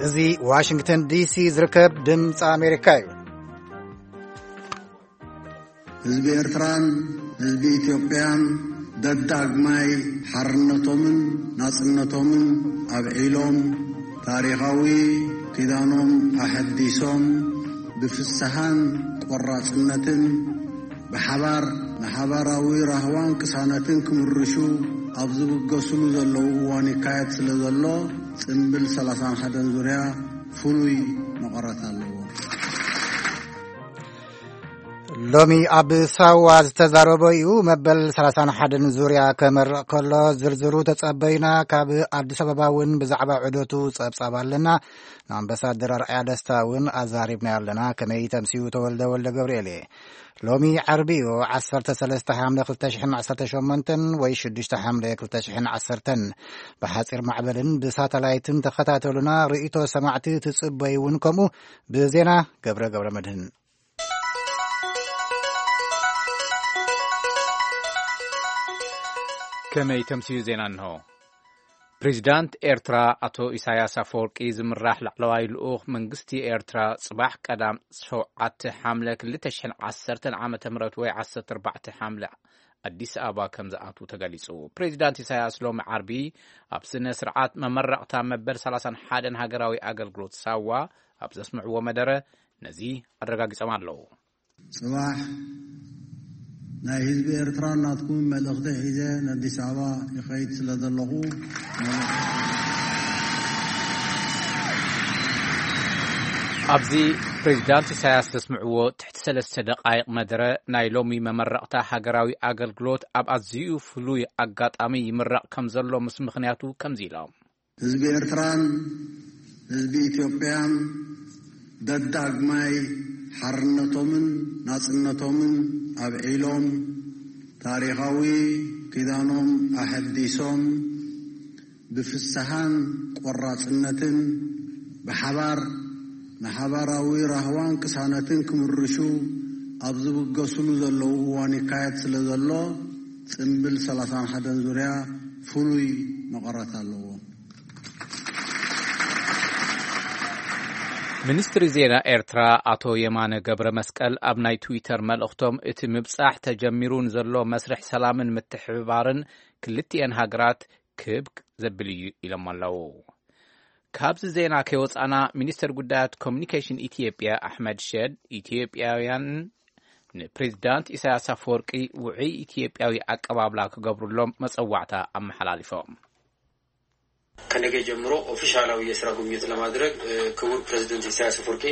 እዚ ዋሽንግተን ዲሲ ዝርከብ ድምፂ ኣሜሪካ እዩ። ህዝቢ ኤርትራን ህዝቢ ኢትዮጵያን ደዳግማይ ሓርነቶምን ናጽነቶምን ኣብዒሎም፣ ታሪኻዊ ኪዳኖም ኣሐዲሶም፣ ብፍስሃን ቆራጽነትን ብሓባር ንሓባራዊ ራህዋን ቅሳነትን ክምርሹ ኣብ ዝብገስሉ ዘለዉ እዋን ይካየድ ስለ ዘሎ፣ ጽምብል ሰላሳን ሓደን ዙርያ ፍሉይ መቐረት ኣለዎ። ሎሚ ኣብ ሳዋ ዝተዛረበ እዩ። መበል ሰላሳን ሓደን ዙርያ ከመርቕ ከሎ ዝርዝሩ ተጸበዩና። ካብ ኣዲስ ኣበባ እውን ብዛዕባ ዑደቱ ጸብጻብ ኣለና። ንኣምባሳደር ኣርኣያ ደስታ እውን ኣዛሪብና ኣለና። ከመይ ተምስዩ? ተወልደ ወልደ ገብርኤል እየ። ሎሚ ዓርቢ እዩ፣ ዓሰርተ ሰለስተ ሓምለ ክልተ ሽሕን ዓሰርተ ሸሞንተን ወይ ሽዱሽተ ሓምለ ክልተ ሽሕን ዓሰርተን። ብሓጺር ማዕበልን ብሳተላይትን ተኸታተሉና። ርእይቶ ሰማዕቲ ትጽበዩ እውን ከምኡ። ብዜና ገብረ ገብረ መድህን። ከመይ ተምስዩ? ዜና እንሆ። ፕሬዚዳንት ኤርትራ ኣቶ ኢሳያስ ኣፈወርቂ ዝምራሕ ላዕለዋይ ልኡኽ መንግስቲ ኤርትራ ጽባሕ ቀዳም ሸውዓተ ሓምለ ክልተ ሽሕን ዓሰርተን ዓመተ ምህረት ወይ ዓሰርተ ኣርባዕተ ሓምለ ኣዲስ ኣበባ ከም ዝኣትዉ ተገሊጹ። ፕሬዚዳንት ኢሳያስ ሎሚ ዓርቢ ኣብ ስነ ስርዓት መመረቕታ መበል ሰላሳን ሓደን ሃገራዊ ኣገልግሎት ሳዋ ኣብ ዘስምዕዎ መደረ ነዚ ኣረጋጊጾም ኣለዉ። ጽባሕ ናይ ህዝቢ ኤርትራ ናትኩም መልእኽቲ ሒዘ ንኣዲስ ኣበባ ይኸይድ ስለ ዘለኹ፣ መልእኽቲ ኣብዚ ፕሬዚዳንት ኢሳያስ ዘስምዕዎ ትሕቲ ሰለስተ ደቃይቕ መደረ፣ ናይ ሎሚ መመረቕታ ሃገራዊ ኣገልግሎት ኣብ ኣዝዩ ፍሉይ ኣጋጣሚ ይምረቕ ከም ዘሎ ምስ ምኽንያቱ ከምዚ ኢሎም። ህዝቢ ኤርትራን ህዝቢ ኢትዮጵያን ደዳግማይ ሓርነቶምን ናጽነቶምን ኣብዒሎም፣ ታሪኻዊ ኪዳኖም ኣሐዲሶም፣ ብፍስሃን ቆራጽነትን ብሓባር ንሓባራዊ ራህዋን ቅሳነትን ክምርሹ ኣብ ዝብገስሉ ዘለዉ እዋን ይካየድ ስለ ዘሎ፣ ጽምብል ሰላሳን ሓደን ዙርያ ፍሉይ መቐረት ኣለዎ። ሚኒስትሪ ዜና ኤርትራ ኣቶ የማነ ገብረ መስቀል ኣብ ናይ ትዊተር መልእኽቶም፣ እቲ ምብጻሕ ተጀሚሩ ንዘሎ መስርሕ ሰላምን ምትሕብባርን ክልቲኤን ሃገራት ክብ ዘብል እዩ ኢሎም ኣለዉ። ካብዚ ዜና ከይወጻና፣ ሚኒስተር ጉዳያት ኮሚኒኬሽን ኢትዮጵያ ኣሕመድ ሸድ፣ ኢትዮጵያውያን ንፕሬዚዳንት ኢሳያስ ኣፈወርቂ ውዑይ ኢትዮጵያዊ ኣቀባብላ ክገብሩሎም መጸዋዕታ ኣመሓላሊፎም። ከነገ ጀምሮ ኦፊሻላዊ የስራ ጉብኝት ለማድረግ ክቡር ፕሬዚደንት ኢሳያስ ኣፈወርቂ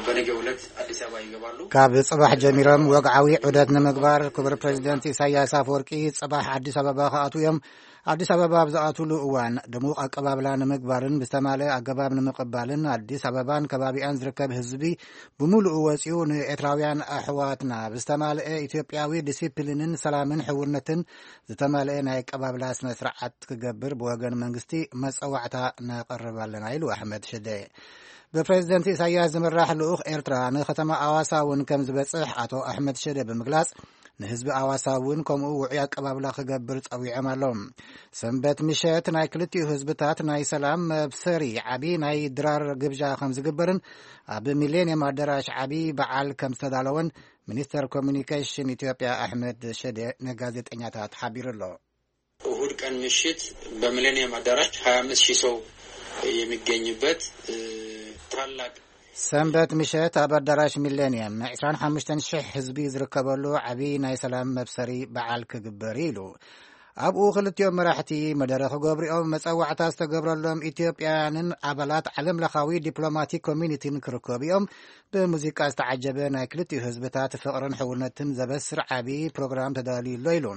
በነገ ዕለት ኣዲስ ኣበባ ይገባሉ። ካብ ጽባሕ ጀሚሮም ወግዓዊ ዑደት ንምግባር ክቡር ፕሬዚደንት ኢሳያስ ኣፈወርቂ ጽባሕ ኣዲስ ኣበባ ክኣትዉ እዮም። ኣዲስ ኣበባ ኣብ ዝኣትውሉ እዋን ድሙቕ ኣቀባብላ ንምግባርን ብዝተማልአ ኣገባብ ንምቕባልን ኣዲስ ኣበባን ከባቢኣን ዝርከብ ህዝቢ ብምሉኡ ወጺኡ ንኤርትራውያን ኣሕዋትና ብዝተማልአ ኢትዮጵያዊ ዲሲፕሊንን ሰላምን ሕውነትን ዝተማልአ ናይ ኣቀባብላ ስነ ስርዓት ክገብር ብወገን መንግስቲ መጸዋዕታ ነቕርብ ኣለና ኢሉ ኣሕመድ ሽደ። ብፕሬዚደንት ኢሳያስ ዝምራሕ ልኡኽ ኤርትራ ንከተማ ኣዋሳ እውን ከም ዝበጽሕ ኣቶ ኣሕመድ ሽደ ብምግላጽ፣ ንህዝቢ ኣዋሳ እውን ከምኡ ውዑይ ኣቀባብላ ክገብር ጸዊዖም ኣለዉ። ሰንበት ምሸት ናይ ክልቲኡ ህዝብታት ናይ ሰላም መብሰሪ ዓቢ ናይ ድራር ግብዣ ከም ዝግበርን ኣብ ሚሌንየም ኣዳራሽ ዓቢ በዓል ከም ዝተዳለወን ሚኒስተር ኮሚኒኬሽን ኢትዮጵያ ኣሕመድ ሽደ ንጋዜጠኛታት ሓቢሩ ኣሎ። እሁድ ቀን ምሽት በሚሌኒየም አዳራሽ ሃያ አምስት ሺህ ሰው የሚገኝበት ታላቅ ሰንበት ምሸት ኣብ ኣዳራሽ ሚሌኒየም ዕስራን ሓሙሽተን ሽሕ ህዝቢ ዝርከበሉ ዓቢ ናይ ሰላም መብሰሪ በዓል ክግበር እዩ ኢሉ። ኣብኡ ክልቲኦም መራሕቲ መደረ ክገብሩ እዮም። መጸዋዕታ ዝተገብረሎም ኢትዮጵያውያንን ኣባላት ዓለም ለኻዊ ዲፕሎማቲክ ኮሚኒቲን ክርከቡ እዮም። ብሙዚቃ ዝተዓጀበ ናይ ክልቲኡ ህዝብታት ፍቕርን ሕውነትን ዘበስር ዓቢ ፕሮግራም ተዳልዩ ኣሎ ኢሉ።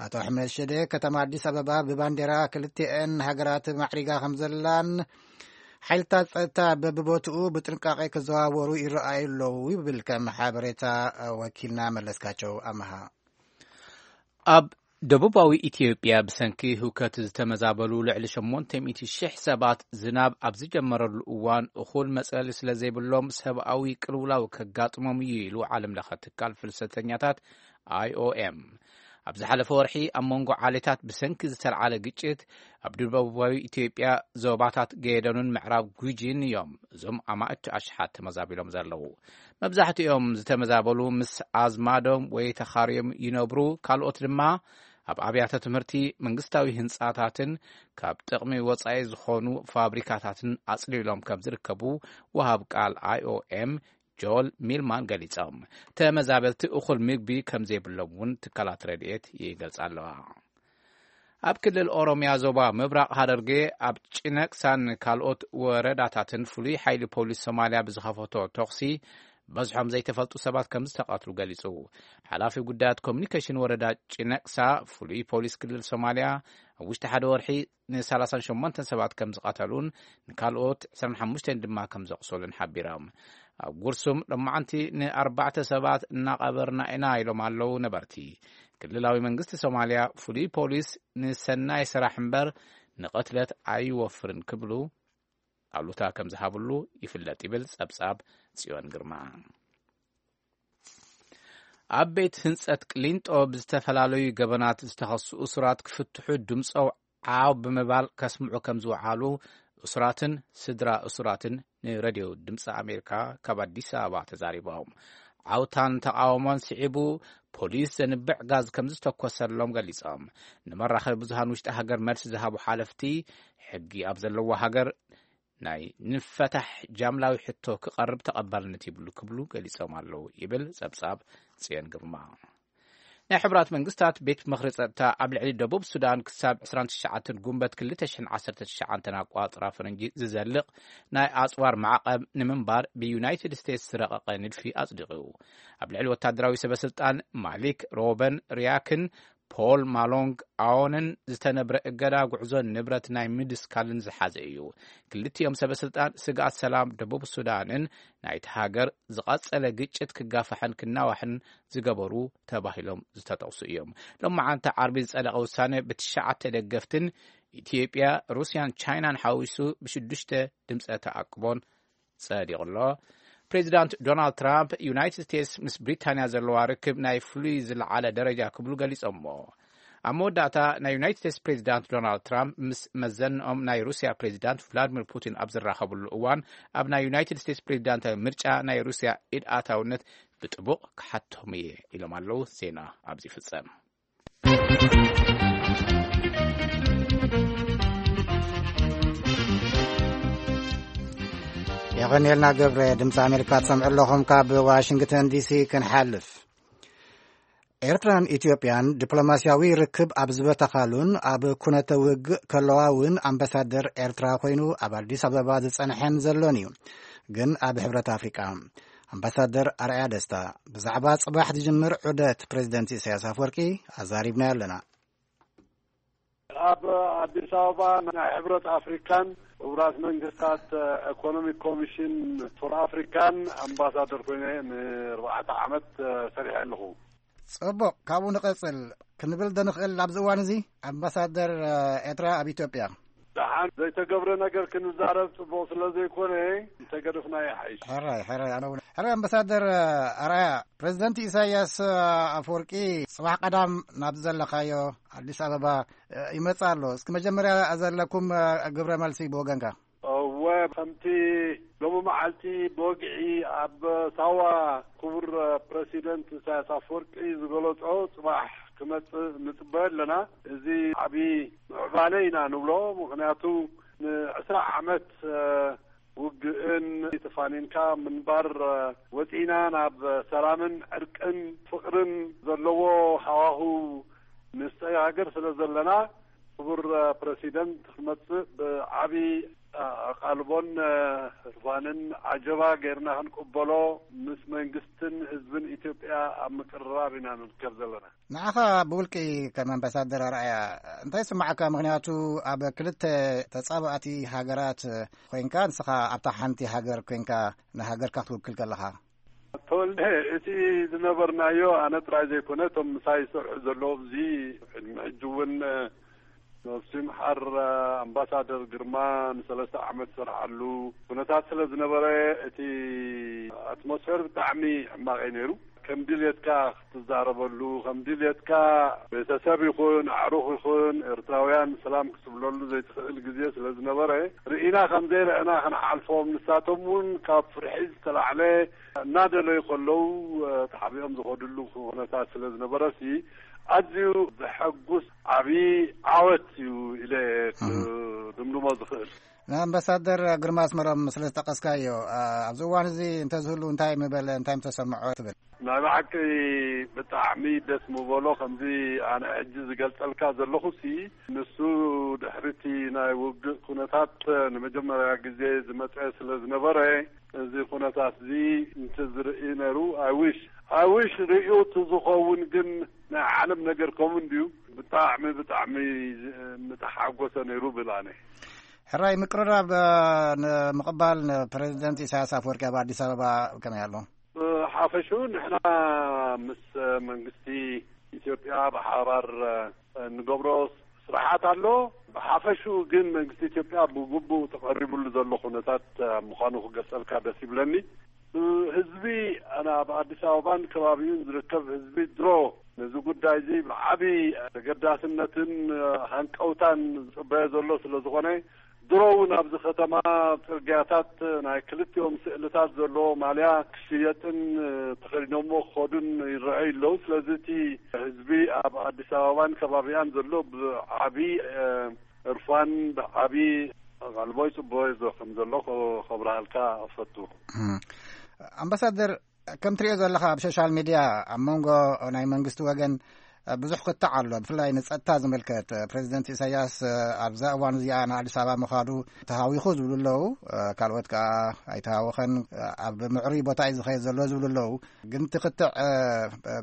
ኣቶ ኣሕመድ ሽደ፣ ከተማ ኣዲስ ኣበባ ብባንዴራ ክልቲኤን ሃገራት ማዕሪጋ ከም ዘላን ሓይልታት ጸጥታ በብቦትኡ ብጥንቃቄ ክዘዋወሩ ይረኣዩ ኣለዉ ይብል ከም ሓበሬታ ወኪልና መለስካቸው ኣመሃ። ኣብ ደቡባዊ ኢትዮጵያ ብሰንኪ ህውከት ዝተመዛበሉ ልዕሊ ሸሞንተ ሚእቲ ሽሕ ሰባት ዝናብ ኣብ ዝጀመረሉ እዋን እኹል መጽለሊ ስለ ዘይብሎም ሰብኣዊ ቅልውላው ከጋጥሞም እዩ ኢሉ ዓለም ለኸ ትካል ፍልሰተኛታት ኣይ ኦ ኤም። ኣብ ዝሓለፈ ወርሒ ኣብ መንጎ ዓሌታት ብሰንኪ ዝተልዓለ ግጭት ኣብ ደቡባዊ ኢትዮጵያ ዞባታት ገደኑን ምዕራብ ጉጂን እዮም እዞም ኣማእት ኣሽሓት ተመዛቢሎም ዘለዉ። መብዛሕትኦም ዝተመዛበሉ ምስ ኣዝማዶም ወይ ተኻርዮም ይነብሩ፣ ካልኦት ድማ ኣብ ኣብያተ ትምህርቲ፣ መንግስታዊ ህንጻታትን ካብ ጥቕሚ ወጻኢ ዝኾኑ ፋብሪካታትን ኣጽሊሎም ከም ዝርከቡ ወሃብ ቃል ኣይ ኦ ኤም ጆል ሚልማን ገሊጾም። ተመዛበልቲ እኹል ምግቢ ከም ዘይብሎም እውን ትካላት ረድኤት ይገልጻ ኣለዋ። ኣብ ክልል ኦሮምያ ዞባ ምብራቕ ሃረርጌ ኣብ ጭነቅሳን ካልኦት ወረዳታትን ፍሉይ ሓይሊ ፖሊስ ሶማልያ ብዝኸፈቶ ተኹሲ በዝሖም ዘይተፈልጡ ሰባት ከም ዝተቐትሉ ገሊጹ። ሓላፊ ጉዳያት ኮሚኒኬሽን ወረዳ ጭነቅሳ፣ ፍሉይ ፖሊስ ክልል ሶማልያ ኣብ ውሽጢ ሓደ ወርሒ ን38 ሰባት ከም ዝቐተሉን ንካልኦት ዕስራን ሓሙሽተን ድማ ከም ዘቑሰሉን ሓቢሮም። ኣብ ጉርሱም ሎማዓንቲ ንኣርባዕተ ሰባት እናቐበርና ኢና ኢሎም ኣለዉ ነበርቲ። ክልላዊ መንግስቲ ሶማልያ፣ ፍሉይ ፖሊስ ንሰናይ ስራሕ እምበር ንቕትለት ኣይወፍርን ክብሉ ኣሉታ ከም ዝሃብሉ ይፍለጥ ይብል ጸብጻብ ጽዮን ግርማ። ኣብ ቤት ህንጸት ቅሊንጦ ብዝተፈላለዩ ገበናት ዝተኸሱ እሱራት ክፍትሑ ድምጾም ዓው ብምባል ከስምዑ ከም ዝወዓሉ እሱራትን ስድራ እሱራትን ንሬድዮ ድምፂ ኣሜሪካ ካብ ኣዲስ ኣበባ ተዛሪቦም። ዓውታን ተቃውሞን ስዒቡ ፖሊስ ዘንብዕ ጋዝ ከም ዝተኮሰሎም ገሊጾም። ንመራኸቢ ብዙሃን ውሽጢ ሃገር መልሲ ዝሃቡ ሓለፍቲ፣ ሕጊ ኣብ ዘለዎ ሃገር ናይ ንፈታሕ ጃምላዊ ሕቶ ክቐርብ ተቐባልነት ይብሉ ክብሉ ገሊጾም ኣለዉ ይብል ጸብጻብ ጽዮን ግርማ። ናይ ሕቡራት መንግስታት ቤት ምኽሪ ጸጥታ ኣብ ልዕሊ ደቡብ ሱዳን ክሳብ ዕስራን ትሽዓተን ጉንበት ክልተ ሽሕን ዓሰርተ ትሽዓተን ኣቋጽራ ፈረንጂ ዝዘልቕ ናይ ኣጽዋር ማዕቐብ ንምንባር ብዩናይትድ ስቴትስ ዝረቐቐ ንድፊ ኣጽዲቑ። ኣብ ልዕሊ ወታደራዊ ሰበ ስልጣን ማሊክ ሮበን ሪያክን ፖል ማሎንግ ኣዎንን ዝተነብረ እገዳ ጉዕዞን ንብረት ናይ ምድስካልን ዝሓዘ እዩ። ክልቲኦም ሰበ ስልጣን ስግኣት ሰላም ደቡብ ሱዳንን ናይቲ ሃገር ዝቐጸለ ግጭት ክጋፋሕን ክናዋሕን ዝገበሩ ተባሂሎም ዝተጠቕሱ እዮም። ሎማዓንቲ ዓርቢ ዝጸደቐ ውሳነ ብትሽዓተ ደገፍትን ኢትዮጵያ፣ ሩስያን ቻይናን ሓዊሱ ብሽዱሽተ ድምፀ ተኣቅቦን ጸዲቑ ኣሎ። ፕሬዚዳንት ዶናልድ ትራምፕ ዩናይትድ ስቴትስ ምስ ብሪታንያ ዘለዋ ርክብ ናይ ፍሉይ ዝለዓለ ደረጃ ክብሉ ገሊጾምዎ። ኣብ መወዳእታ ናይ ዩናይትድ ስቴትስ ፕሬዚዳንት ዶናልድ ትራምፕ ምስ መዘንኦም ናይ ሩስያ ፕሬዚዳንት ቭላድሚር ፑቲን ኣብ ዝራኸብሉ እዋን ኣብ ናይ ዩናይትድ ስቴትስ ፕሬዚዳንታዊ ምርጫ ናይ ሩስያ ኢድ ኣታውነት ብጥቡቕ ክሓቶም እየ ኢሎም ኣለዉ። ዜና ኣብዚ ይፍጸም። የቐንየልና ገብረ። ድምፂ ኣሜሪካ ትሰምዑ ኣለኹም። ካብ ዋሽንግተን ዲሲ ክንሓልፍ፣ ኤርትራን ኢትዮጵያን ዲፕሎማስያዊ ርክብ ኣብ ዝበተኻሉን ኣብ ኩነተ ውግእ ከለዋ እውን ኣምባሳደር ኤርትራ ኮይኑ ኣብ ኣዲስ ኣበባ ዝጸንሐን ዘሎን እዩ። ግን ኣብ ሕብረት ኣፍሪቃ ኣምባሳደር ኣርኣያ ደስታ ብዛዕባ ጽባሕ ዝጅምር ዑደት ፕሬዚደንት ኢሳያስ ኣፈወርቂ ኣዛሪብናዮ ኣለና። ኣብ ኣዲስ ኣበባ ናይ ሕብረት ኣፍሪካን ሕቡራት መንግስታት ኢኮኖሚክ ኮሚሽን ፎር ኣፍሪካን ኣምባሳደር ኮይነ ንኣርባዕተ ዓመት ሰሪሐ ኣለኹ። ጽቡቕ፣ ካብኡ ንቐጽል ክንብል ዶ ንኽእል ኣብዚ እዋን እዚ? ኣምባሳደር ኤርትራ ኣብ ኢትዮጵያ። ደሓን ዘይተገብረ ነገር ክንዛረብ ጽቡቕ ስለ ዘይኮነ እንተገደፍና ይሓይሽ። ሕራይ፣ ሕራይ፣ ኣነ እውን። ሕራይ፣ ኣምባሳደር ኣርኣያ፣ ፕሬዚደንት ኢሳያስ ኣፈወርቂ ጽባሕ ቀዳም ናብ ዘለኻዮ ኣዲስ ኣበባ ይመጽእ ኣሎ። እስኪ መጀመርያ ዘለኩም ግብረ መልሲ ብወገንካ። እወ፣ ከምቲ ሎሚ መዓልቲ ብወግዒ ኣብ ሳዋ ክቡር ፕረሲደንት ኢሳያስ ኣፈወርቂ ዝገለጾ፣ ጽባሕ ክመጽእ ንጽበዮ ኣለና። እዚ ዓቢ ምዕባለ ኢና ንብሎ፣ ምኽንያቱ ንዕስራ ዓመት ውግእን ተፋኒንካ ምንባር ወጺእና ናብ ሰላምን ዕርቅን ፍቕርን ዘለዎ ሃዋህው ንሰጋገር ስለ ዘለና፣ ክቡር ፕረሲደንት ክመጽእ ብዓቢ ኣቓልቦን ህርፋንን ዓጀባ ጌርና ክንቅበሎ ምስ መንግስትን ህዝብን ኢትዮጵያ ኣብ ምቅርራብ ኢና ንርከብ ዘለና። ንዓኻ ብውልቂ ከም ኣምባሳደር ኣርኣያ እንታይ ይስምዓካ? ምኽንያቱ ኣብ ክልተ ተጻባእቲ ሃገራት ኮይንካ፣ ንስኻ ኣብታ ሓንቲ ሃገር ኮይንካ ንሃገርካ ክትውክል ከለኻ። ተወልደ፣ እቲ ዝነበርናዮ ኣነ ጥራይ ዘይኮነ እቶም ምሳይ ዝሰርሑ ዘለዉ ኣብዚ ቅድሚ ሕጂ እውን ነብሱ ይምሓር ኣምባሳደር ግርማ ንሰለስተ ዓመት ዝሰርሓሉ ኩነታት ስለ ዝነበረ እቲ ኣትሞስፌር ብጣዕሚ ሕማቕ እዩ ነይሩ። ከም ድልየትካ ክትዛረበሉ፣ ከም ድልየትካ ቤተሰብ ይኹን ኣዕሩኽ ይኹን ኤርትራውያን ሰላም ክትብለሉ ዘይትኽእል ግዜ ስለ ዝነበረ፣ ርኢና ከም ዘይረኣና ክንሓልፎም፣ ንሳቶም እውን ካብ ፍርሒ ዝተላዕለ እናደለዩ ከለዉ፣ እ፣ ተሓቢኦም ዝኸድሉ ኩነታት ስለ ዝነበረሲ፣ ኣዝዩ ዘሐጉስ ዓብዪ ዓወት እዩ ኢለ እህ። ክድምድሞ ዝኽእል። ንኣምባሳደር ግርማ ኣስመሮም ስለ ዝጠቀስካዮ፣ እ፣ ኣብዚ እዋን እዚ እንተዝህሉ እንታይ ምበለ፣ እንታይ ምተሰምዖ ትብል? ናይ ብሓቂ ብጣዕሚ ደስ ምበሎ። ከምዚ ኣነ ሕጂ ዝገልጸልካ ዘለኹሲ፣ ንሱ ድሕሪቲ ናይ ውግእ ኩነታት ንመጀመርያ ግዜ ዝመጸ ስለ ዝነበረ፣ እዚ ኩነታት እዚ እንተዝርኢ ነይሩ፣ I wish፣ I wish ርእዩ እቲ ዝኸውን፣ ግን ናይ ዓለም ነገር ከምኡ እንድዩ። ብጣዕሚ፣ ብጣዕሚ ምተሓጎሰ ነይሩ ብል ኣነ። ሕራይ ምቅርራብ፣ እ፣ ንምቕባል ንፕሬዚደንት ኢሳያስ ኣፈወርቂ ኣብ ኣዲስ ኣበባ ከመይ ኣሎ? ብሓፈሽኡ ንሕና ምስ መንግስቲ ኢትዮጵያ ብሓባር፣ እ፣ እንገብሮ ስራሓት ኣሎ። ብሓፈሽኡ ግን መንግስቲ ኢትዮጵያ ብግቡእ ተቐሪቡሉ ዘሎ ኩነታት፣ እ፣ ምዃኑ ክገልጸልካ ደስ ይብለኒ። ህዝቢ፣ ኣነ ኣብ ኣዲስ ኣበባን ከባቢኡን ዝርከብ ህዝቢ ድሮ ነዚ ጉዳይ እዚ ብዓቢ ተገዳስነትን ሃንቀውታን ዝጽበዮ ዘሎ ስለ ዝኾነ፣ ድሮ እውን ኣብዚ ከተማ ጽርግያታት ናይ ክልቲኦም ስእልታት ዘለዎ ማልያ ክሽየጥን ተኸዲኖሞ ክኸዱን ይረኣዩ ኣለዉ። ስለዚ እቲ ህዝቢ ኣብ ኣዲስ ኣበባን ከባቢኣን ዘሎ ብዓቢ፣ እ፣ እርፋን ብዓቢ ኣቓልቦ ይጽበዮ ከም ዘሎ ከ-፣ ከብርሃልካ እፈቱ። እም። ኣምባሳደር፣ ከም ትሪኦ ዘለኻ ኣብ ሶሻል ሚድያ ኣብ መንጎ ናይ መንግስቲ ወገን ብዙሕ ክትዕ ኣሎ፣ ብፍላይ ንጸጥታ ዝምልከት። ፕሬዚደንት ኢሳያስ ኣብዛ እዋን እዚኣ ንኣዲስ ኣበባ ምኻዱ ተሃዊኹ ዝብሉ ኣለዉ፣ ካልኦት ከኣ ኣይተሃወኸን፣ ኣብ ምዕሩይ ቦታ እዩ ዝኸይድ ዘሎ ዝብሉ ኣለዉ። ግን እቲ ክትዕ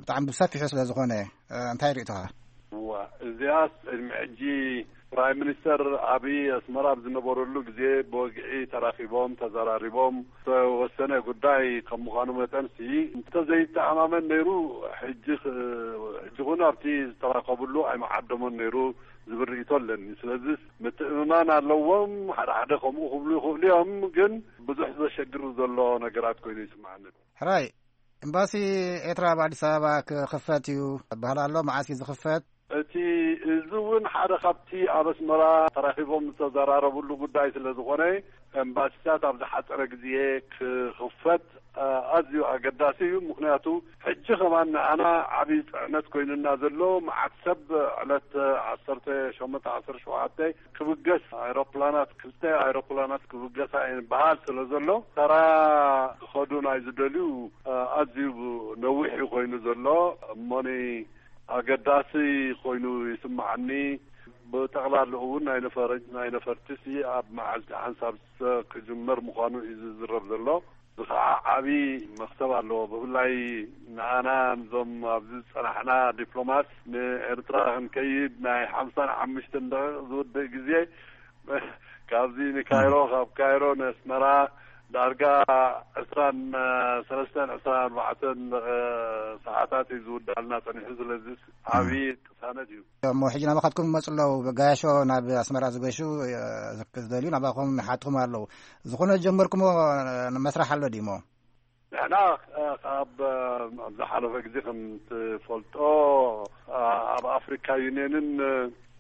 ብጣዕሚ ብሰፊሑ ስለ ዝኾነ እንታይ ርእይቶኻ? እዋ፣ እዚኣስ ቅድሚ ሕጂ ፕራይም ሚኒስተር ኣብይ ኣስመራ ኣብ ዝነበረሉ ግዜ ብወግዒ ተራኺቦም፣ ተዘራሪቦም፣ ዝተወሰነ ጉዳይ ከም ምዃኑ መጠንሲ፣ እንተዘይተኣማመን ነይሩ፣ ሕጂ ኽ-፣ ሕጂ ኹን ኣብቲ ዝተራኸብሉ ኣይምዓደሞን ነይሩ ዝብል ርእይቶ ኣለኒ። ስለዚ ምትእምማን ኣለዎም። ሓደ ሓደ ከምኡ ክብሉ ይኽእሉ እዮም፣ ግን ብዙሕ ዘሸግር ዘሎ ነገራት ኮይኑ ይስምዓኒ። ሕራይ፣ ኤምባሲ ኤርትራ ኣብ ኣዲስ ኣበባ ክኽፈት እዩ ይበሃል ኣሎ። መዓስ እዩ ዝኽፈት? እቲ፣ እዚ እውን ሓደ ካብቲ ኣብ ኣስመራ ተራኺቦም ዝተዘራረብሉ ጉዳይ ስለ ዝኾነ፣ ኤምባሲታት ኣብ ዝሓጸረ ግዜ ክኽፈት፣ አ-፣ ኣዝዩ ኣገዳሲ እዩ። ምኽንያቱ፣ ሕጂ ከማን ንኣና ዓብዪ ጽዕነት ኮይኑና ዘሎ፣ መዓት ሰብ ዕለት ዓሰርተ ሸሞንተ ዓሰርተ ሸውዓተ ክብገስ፣ ኣይሮፕላናት፣ ክልተ ኣይሮፕላናት ክብገሳ እየን በሃል ስለ ዘሎ፣ ተራ ክኸዱ ናይ ዝደልዩ፣ አ-፣ ኣዝዩ ነዊሕ እዩ ኮይኑ ዘሎ። እሞኒ ኣገዳሲ ኮይኑ ይስምዓኒ። ብጠቕላላኡ እውን ናይ ነፈረ-፣ ናይ ነፈርትሲ ኣብ መዓልቲ ሓንሳብ ክጅመር ምዃኑ እዩ ዝዝረብ ዘሎ። እዚ ኸዓ ዓብዪ መኽሰብ ኣለዎ። ብፍላይ ንኣና፣ ነዞም ኣብዚ ዝጸናሕና ዲፕሎማት፣ ንኤርትራ ክንከይድ ናይ ሓምሳን ሓሙሽተን ደቂቕ ዝውድእ ግዜ፣ ካብዚ ንካይሮ፣ ካብ ካይሮ ንኣስመራ ዳርጋ ዕስራን ሰለስተን፣ ዕስራን ኣርባዕተን ሰዓታት እዩ ዝውዳልና ጸኒሑ። ስለዚ ዓብዪ ቅሳነት እዩ። እሞ ሕጂ ናባኻትኩም ይመጹ ኣለዉ። ጋያሾ ናብ ኣስመራ ዝገሹ፣ እ፣ ዝደልዩ ናባኹም ይሓትኹም ኣለዉ። ዝኾነ ዝጀመርኩሞ መስራሕ ኣሎ ድዩሞ? ንሕና፣ እ፣ ካብ፣ እ፣ ኣብ ዝሓለፈ ግዜ ከም ትፈልጦ፣ እ፣ ኣብ ኣፍሪካ ዩኒየንን፣ እ፣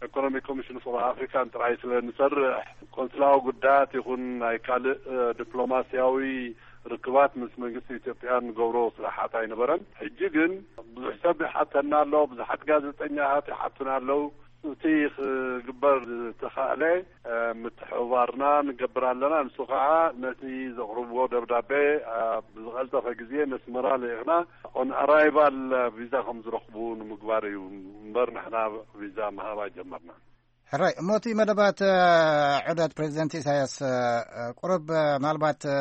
ኢኮኖሚክ ኮሚሽን ፎር ኣፍሪካን ጥራይ ስለ ንሰርሕ፣ ቆንስላዊ ጉዳያት ይኹን ናይ ካልእ፣ እ፣ ዲፕሎማስያዊ ርክባት ምስ መንግስቲ ኢትዮጵያ ንገብሮ ስራሓት ኣይነበረን። ሕጂ ግን ብዙሕ ሰብ ይሓተና ኣሎ፣ ብዙሓት ጋዜጠኛታት ይሓቱና ኣለዉ። እቲ ክግበር ዝተኻእለ፣ እ፣ ምትሕብባርና ንገብር ኣለና። ንሱ ከዓ ነቲ ዘቕርብዎ ደብዳቤ፣ እ፣ ብዝቐልጠፈ ግዜ ነስመራ ልኢኽና ኦን ኣራይቫል ቪዛ ከም ዝረኽቡ ንምግባር እዩ እምበር ንሕና ቪዛ ምሃብ ኣይጀመርናን። ሕራይ፣ እሞ እቲ መደባት፣ እ፣ ዑደት ፕሬዚደንት ኢሳያስ፣ እ፣ ቁሩብ፣ እ፣ ምናልባት፣ እ፣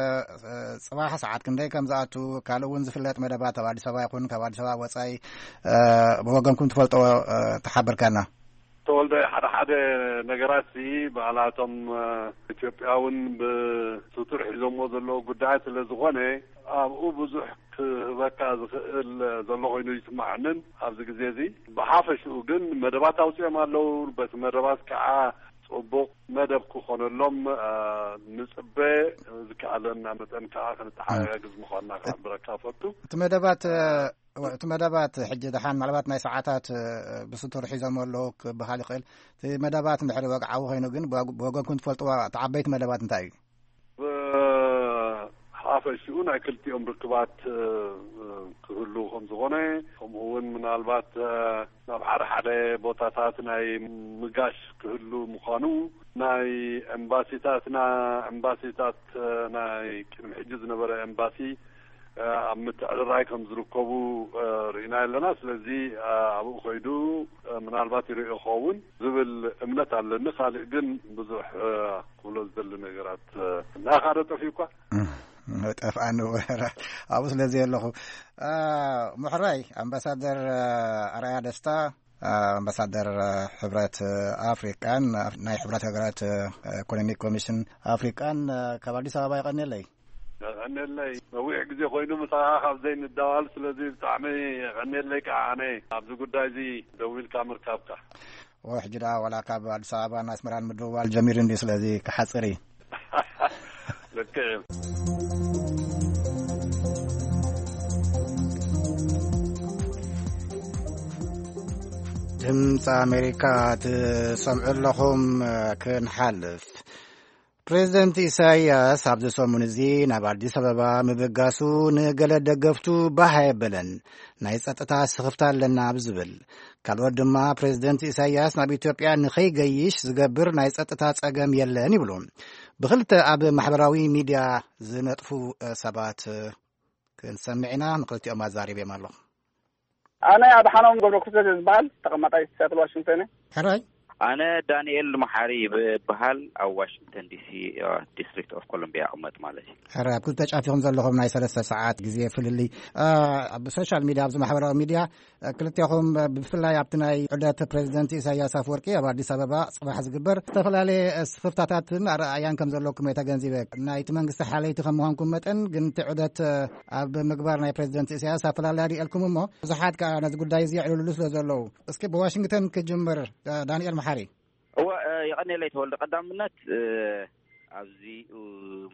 እ፣ ጽባሕ ሰዓት ክንደይ ከም ዝኣቱ፣ ካልእ እውን ዝፍለጥ መደባት ኣብ ኣዲስ ኣበባ ይኹን ካብ ኣዲስ ኣበባ ወጻኢ፣ እ፣ ብወገንኩም ትፈልጦ፣ እ፣ ተሓብርካና? ተወልደ፣ ሓደ ሓደ ነገራት ሲ ባዕላቶም፣ እ፣ ኢትዮጵያ እውን ብስቱር ሒዞምዎ ዘለዉ ጉዳያት ስለ ዝኾነ፣ ኣብኡ ብዙሕ ክህበካ ዝኽእል ዘሎ ኮይኑ ይስምዓንን ኣብዚ ግዜ እዚ። ብሓፈሽኡ ግን መደባት ኣውጺኦም ኣለዉ። በቲ መደባት ከዓ ጽቡቕ መደብ ክኾነሎም፣ እ፣ ንጽበ። ዝከኣለና መጠን ከዓ ክንተሓጋገዝ ምዃንና ክሕብረካ እፈቱ። እቲ መደባት፣ እ፣ እወ፣ እቲ መደባት ሕጂ ደሓን ምናልባት ናይ ሰዓታት፣ እ፣ ብስቱር ሒዞም ኣለዉ ክበሃል ይኽእል። እቲ መደባት እንድሕሪ ወግዓዊ ኮይኑ ግን ብወግ-፣ ብወገንኩም ትፈልጥዎ እቲ ዓበይቲ መደባት እንታይ እዩ? ብሓፈሽኡ ናይ ክልቲኦም ርክባት፣ እ፣ ክህሉ ከም ዝኾነ፣ ከምኡ እውን ምናልባት፣ እ፣ ናብ ሓደ ሓደ ቦታታት ናይ ምጋሽ ክህሉ ምዃኑ፣ ናይ ኤምባሲታትና፣ ኤምባሲታት፣ እ፣ ናይ ቅድሚ ሕጂ ዝነበረ ኤምባሲ፣ እ፣ ኣብ ምትዕርራይ ከም ዝርከቡ፣ እ፣ ርኢና ኣለና። ስለዚ፣ እ፣ ኣብኡ ከይዱ፣ እ፣ ምናልባት ይርእዮ ክኸውን ዝብል እምነት ኣለኒ። ካልእ ግን ብዙሕ፣ እ፣ ክብሎ ዝደሊ ነገራት፣ እ፣ እናኻደ ጠፊኡ እኳ። እም፣ ጠፍኣኒ ወረ ኣብኡ ስለ ዘየለኹ። እ፣ ምሕራይ ኣምባሳደር፣ እ፣ ኣርኣያ ደስታ፣ እ፣ ኣምባሳደር፣ እ፣ ሕብረት፣ እ፣ ኣፍሪቃን፣ እ፣ ናይ ሕብረት ሃገራት፣ እ፣ ኢኮኖሚክ ኮሚሽን ኣፍሪቃን፣ እ፣ ካብ ኣዲስ ኣበባ ይቐንየለይ። የቐንየለይ። ነዊሕ ግዜ ኮይኑ ምሳኻ ካብ ዘይንዳዋል፣ ስለዚ ብጣዕሚ የቐንየለይ ከዓ ኣነ ኣብዚ ጉዳይ እዚ ደዊልካ ምርካብካ። ኦ፣ ሕጂ ደኣ ዋላ ካብ ኣዲስ ኣበባን ኣስመራን ምድውዋል ጀሚሩ እንድዩ፣ ስለዚ ክሓጽር እዩ። ልክዕ እዩ። ድምፂ ኣሜሪካ ትሰምዑ ኣለኹም። ክንሓልፍ፣ ፕሬዚደንት ኢሳይያስ ኣብዚ ሰሙን እዚ ናብ ኣዲስ ኣበባ ምብጋሱ ንገለ ደገፍቱ ባህ ኣየበለን። ናይ ጸጥታ ስኽፍታ ኣለና ኣብ ዝብል፣ ካልኦት ድማ ፕሬዚደንት ኢሳይያስ ናብ ኢትዮጵያ ንኸይገይሽ ዝገብር ናይ ጸጥታ ጸገም የለን ይብሉ። ብኽልተ ኣብ ማሕበራዊ ሚድያ ዝነጥፉ፣ እ፣ ሰባት፣ እ፣ ክንሰምዕ ኢና። ንኽልቲኦም ኣዛሪበዮም ኣለኹ። ኣነ ኣድሓኖም ገብረ ክርስቶስ ዝበሃል፣ ተቐማጣይ ሲያትል ዋሽንግተን እየ። ሕራይ። ኣነ ዳንኤል መሓሪ ይበሃል፣ ኣብ ዋሽንግተን ዲሲ፣ እ፣ ዲስትሪክት ኦፍ ኮሎምቢያ እቕመጥ ማለት እዩ። ሕራይ፣ ኣብ ክልተ ጫፍ ኢኹም ዘለኹም፣ ናይ ሰለስተ ሰዓት ግዜ ፍልልይ። እ፣ ኣብ ሶሻል ሚድያ፣ ኣብዚ ማሕበራዊ ሚድያ፣ እ፣ ክልቴኹም፣ እ፣ ብፍላይ ኣብቲ ናይ ዑደት ፕሬዚደንት ኢሳያስ ኣፈወርቂ ኣብ ኣዲስ ኣበባ ጽባሕ ዝግበር ዝተፈላለየ፣ እ፣ ስኽፍታታትን ኣረኣእያን ከም ዘለኩም እየ ተገንዚበ። ናይቲ መንግስቲ ሓለይቲ ከም ምዃንኩም መጠን ግን እቲ ዑደት፣ እ፣ ኣብ ምግባር ናይ ፕሬዚደንት ኢሳያስ ኣፈላላይ ሪኤልኩም እሞ ብዙሓት ከኣ ነዚ ጉዳይ እዚ የዕልሉሉ ስለ ዘለዉ። እስኪ ብዋሽንግተን ክጅምር፣ እ፣ ዳንኤል መሓሪ። እወ፣ እ፣ የቐንየለይ ተወልደ። ቀዳምነት፣ እ፣ ኣብዚ፣ እ፣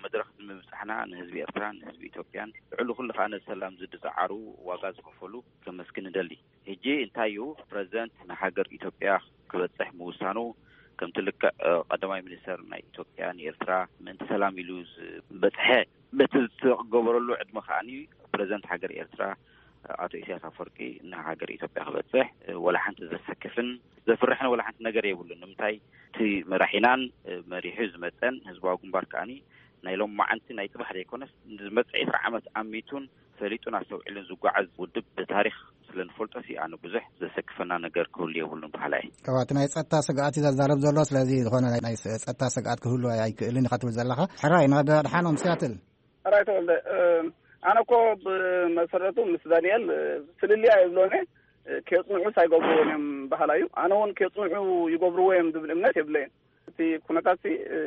መድረኽ ንምብጻሕና ንህዝቢ ኤርትራን ንህዝቢ ኢትዮጵያን ልዕሊ ኩሉ ከኣ ነዚ ሰላም ዝድጽዓሩ ዋጋ ዝኸፈሉ ከመስግን እደሊ። ሕጂ እንታይ እዩ ፕረዚደንት ንሃገር ኢትዮጵያ ክበጽሕ ምውሳኑ ከምቲ ልክዕ፣ እ፣ ቀዳማይ ሚኒስተር ናይ ኢትዮጵያ ንኤርትራ ምእንቲ ሰላም ኢሉ ዝበጽሐ በቲ ዝተገበረሉ ዕድመ ከኣኒ ፕረዚደንት ሃገር ኤርትራ ኣቶ ኢሳያስ ኣፈወርቂ ንሃገር ኢትዮጵያ ክበጽሕ፣ እ፣ ወላ ሓንቲ ዘሰክፍን ዘፍርሕን ወላ ሓንቲ ነገር የብሉን። ንምንታይ እቲ መራሒናን፣ እ፣ መሪሑ ዝመጸን ህዝባዊ ግንባር ከኣኒ ናይ ሎማዓንቲ ናይ ጽባሕ ዘይኮነስ ንዝመጽእ ዕስራ ዓመት ኣሚቱን ፈሊጡን ኣስተውዒሉን ዝጓዓዝ ውድብ ብታሪኽ ስለ ንፈልጦ ሲ ኣነ ብዙሕ ዘሰክፈና ነገር ክህሉ የብሉን በሃላይ እየ። እዋ፣ እቲ ናይ ጸጥታ ስግኣት እዩ ዘዛረብ ዘሎ። ስለዚ ዝኾነ ናይ፣ ናይ ጸጥታ ስግኣት ክህሉ ኣይክእልን ኢኻ ትብል ዘለኻ። ሕራይ፣ ናብ ኣድሓኖም ሲያትል። ሕራይ ተወልደ፣ እ፣ ኣነ እኮ ብመሰረቱ ምስ ዳንኤል፣ እ፣ ፍልልይ ኣይብሎን እየ። እ፣ ኬጽንዑስ ኣይገብርዎን እዮም በሃላይ እዩ። ኣነ እውን ኬጽንዑ ይገብርዎ እዮም ዝብል እምነት የብለይን። እቲ ኩነታት ሲ፣ እ፣